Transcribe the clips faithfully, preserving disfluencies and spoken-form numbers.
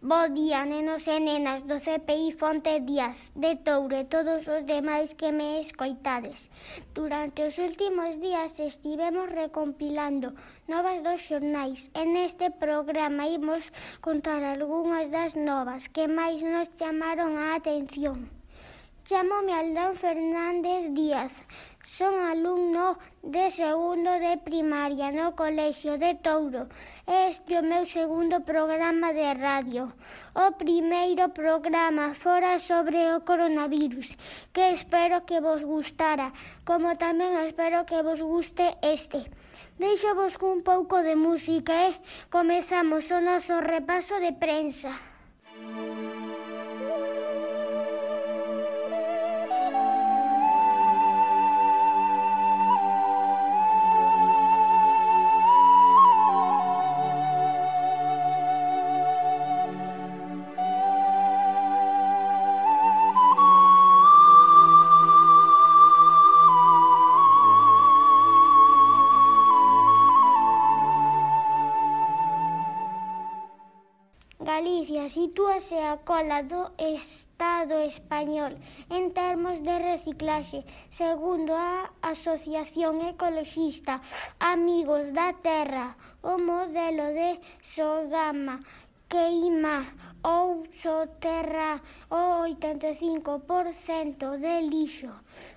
Bo día, nenos e nenas do C P I Fonte Díaz, de Touro e todos os demais que me escoitades. Durante os últimos días estivemos recompilando novas dos xornais e neste programa imos contar algunhas das novas que máis nos chamaron a atención. Chámome Aldán Fernández Díaz, son alumno de segundo de primaria no Colexio de Touro. Este é o meu segundo programa de radio. O primeiro programa fora sobre o coronavirus, que espero que vos gustara, como tamén espero que vos guste este. Deixo-vos cun pouco de música e comezamos o noso repaso de prensa. Galicia sitúase á cola do Estado español en termos de reciclaxe, segundo a Asociación Ecoloxista Amigos da Terra. O modelo de Sogama queima ou soterra o oitenta e cinco por cento de lixo,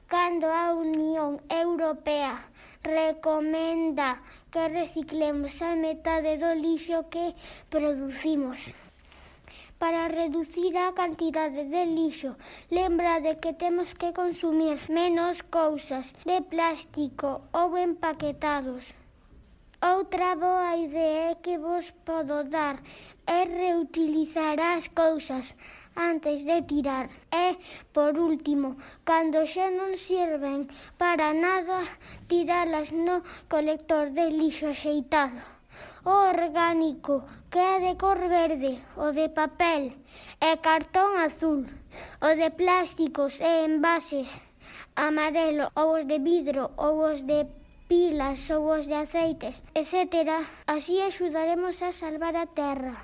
cando a Unión Europea recomenda que reciclemos a metade do lixo que producimos. Para reducir a cantidade de lixo, lembrade que temos que consumir menos cousas de plástico ou empaquetados. Outra boa idea que vos podo dar é reutilizar as cousas antes de tirar. E, por último, cando xa non sirven para nada, tiralas no colector de lixo axeitado. O orgánico, que é de cor verde, o de papel e cartón azul, o de plásticos e envases amarelo, ou os de vidro, ou os de pilas, ou os de aceites, etcétera. Así axudaremos a salvar a terra.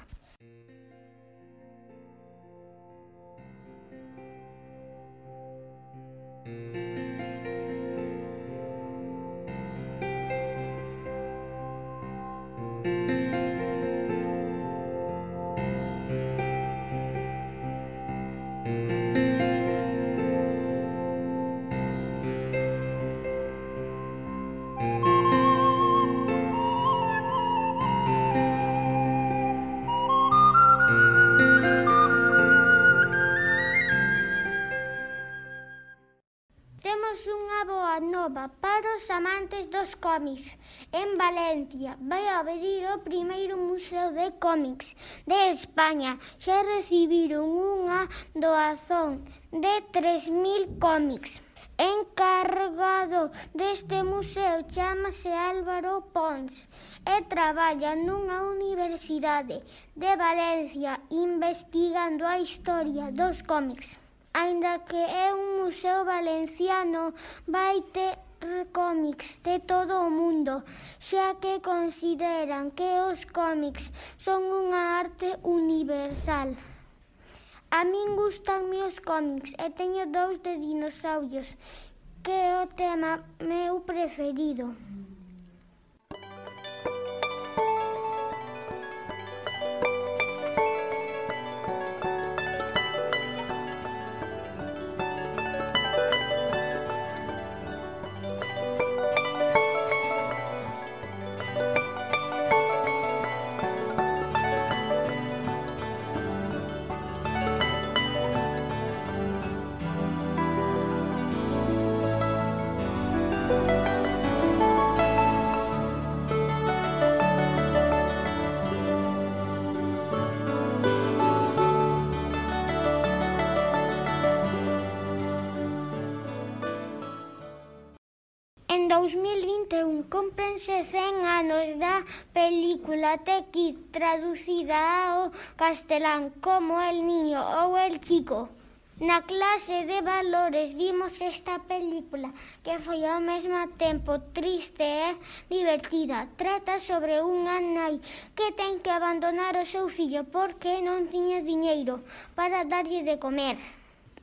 Nova para os amantes dos cómics. En Valencia vai abrir o primeiro museo de cómics de España. Xa recibiron unha doazón de tres mil cómics. Encargado deste museo chámase Álvaro Pons e traballa nunha universidade de Valencia investigando a historia dos cómics. Aínda que é un museo valenciano, vai ter cómics de todo o mundo, xa que consideran que os cómics son unha arte universal. A min gustanme os cómics e teño dous de dinosaurios, que é o tema meu preferido. En dous mil vinte e un cúmprense cen anos da película The Kid, traducida ao castelán como El Niño ou El Chico. Na clase de valores vimos esta película que foi ao mesmo tempo triste e divertida. Trata sobre unha nai que ten que abandonar o seu fillo porque non tiña diñeiro para darlle de comer.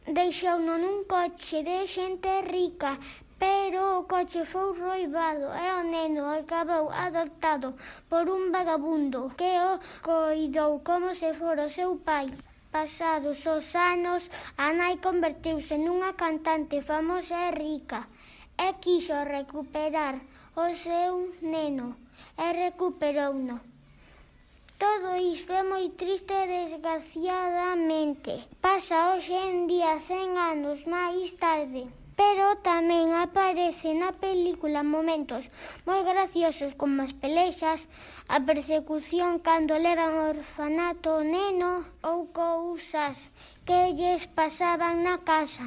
Deixouno nun coche de xente rica, pero o coche foi roubado e o neno acabou adoptado por un vagabundo que o coidou como se fora o seu pai. Pasados os anos, a nai converteuse nunha cantante famosa e rica e quixo recuperar o seu neno e recuperouno. Todo isto é moi triste desgraciadamente. Pasa hoxe en día cen anos máis tarde. Pero tamén aparece na película momentos moi graciosos como as pelexas, a persecución cando levan ao orfanato o neno ou cousas que lles pasaban na casa.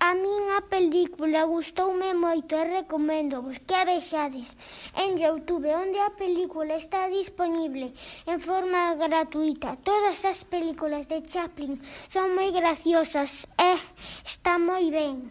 A min a película gustoume moito e recoméndovos que a vexades en YouTube, onde a película está disponible en forma gratuita. Todas as películas de Chaplin son moi graciosas e está moi ben.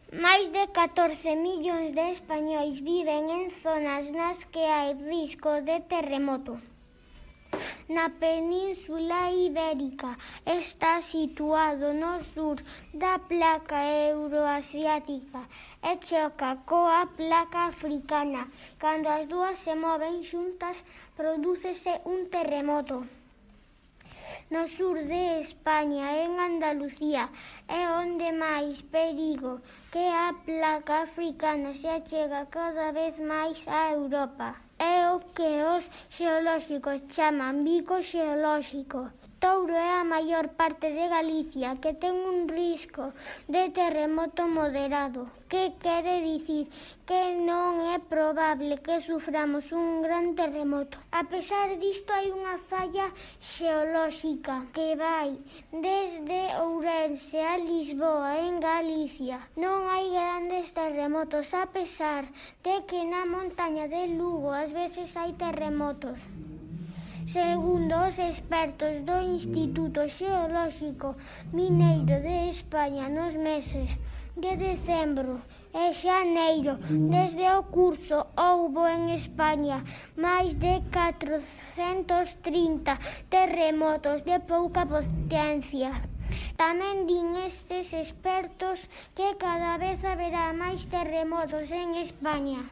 Máis de catorce millóns de españois viven en zonas nas que hai risco de terremoto. Na Península Ibérica está situado no sur da placa euroasiática e choca coa placa africana. Cando as dúas se moven xuntas, prodúcese un terremoto. No sur de España, en Andalucía, é onde máis perigo que a placa africana se achega cada vez máis a Europa. É o que os xeolóxicos chaman bico xeolóxico. Touro é a maior parte de Galicia que ten un risco de terremoto moderado, que quere dicir que non é probable que suframos un gran terremoto. A pesar disto, hai unha falla xeolóxica que vai desde Ourense a Lisboa, en Galicia. Non hai grandes terremotos, a pesar de que na montaña de Lugo ás veces hai terremotos. Segundo os expertos do Instituto Xeolóxico Mineiro de España, nos meses de decembro e xaneiro desde o curso houbo en España máis de catrocentos trinta terremotos de pouca potencia. Tamén din estes expertos que cada vez haberá máis terremotos en España.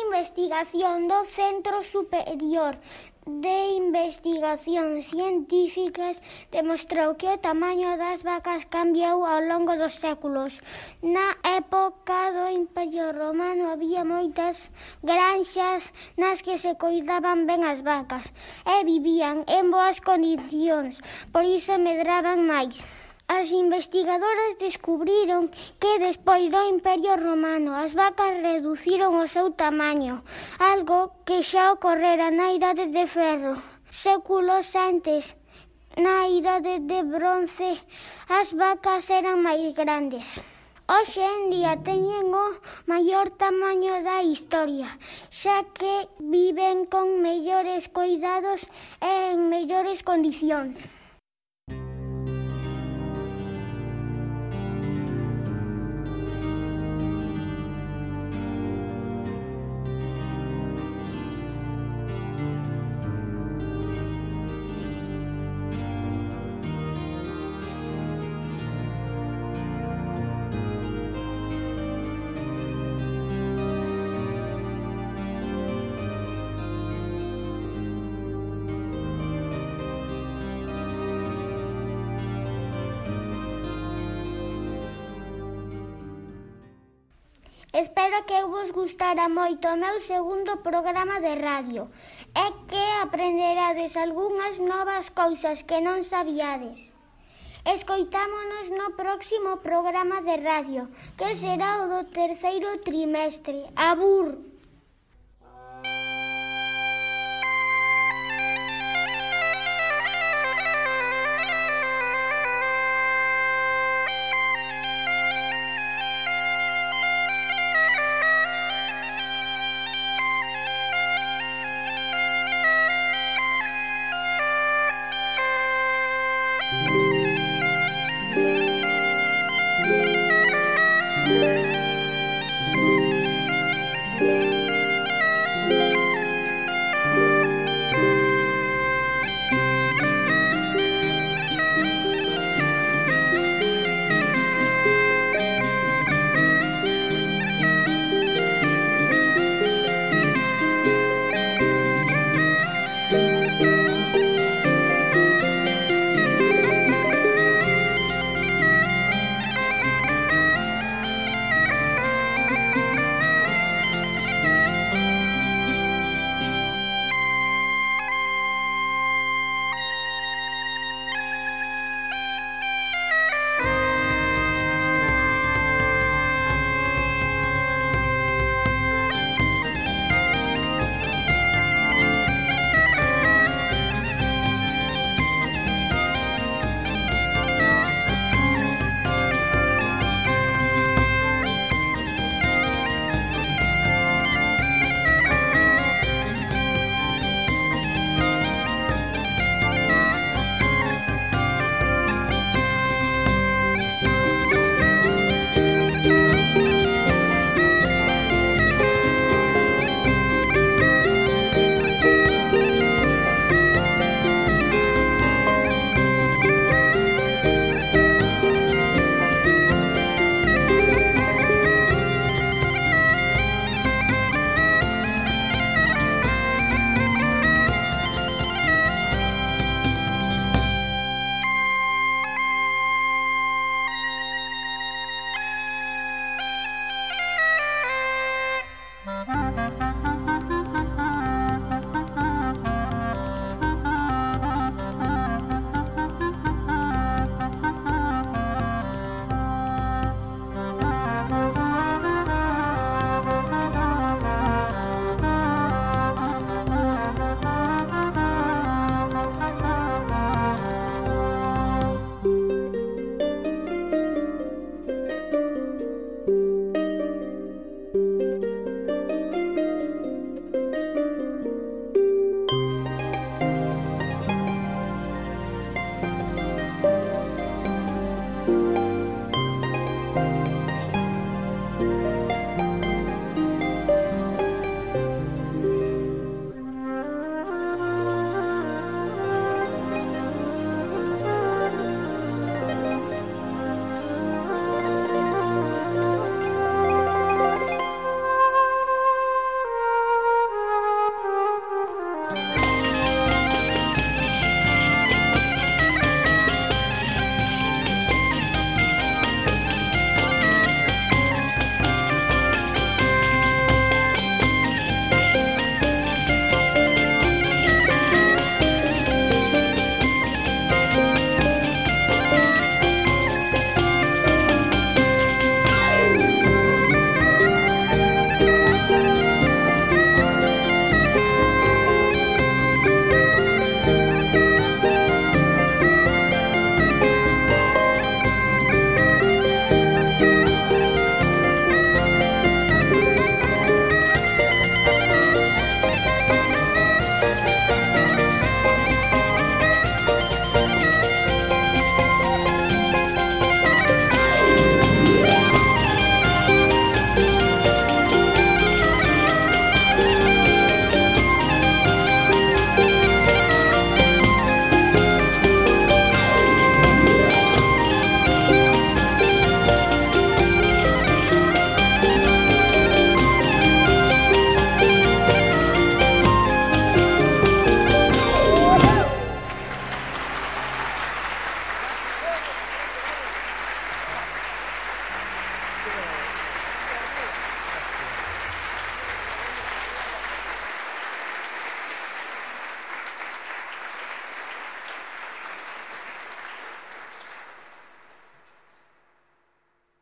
Investigación do Centro Superior de Investigacións Científicas demostrou que o tamaño das vacas cambiou ao longo dos séculos. Na época do Imperio Romano había moitas granxas nas que se coidaban ben as vacas e vivían en boas condicións, por iso medraban máis. As investigadoras descubriron que despois do Imperio Romano as vacas reduciron o seu tamaño, algo que xa ocorrera na Idade de Ferro. Séculos antes, na Idade de Bronce, as vacas eran máis grandes. Hoxe en día teñen o maior tamaño da historia, xa que viven con mellores coidados e en mellores condicións. Espero que vos gustara moito o meu segundo programa de radio e que aprenderades algunhas novas cousas que non sabíades. Escoitámonos no próximo programa de radio, que será o do terceiro trimestre. Abur!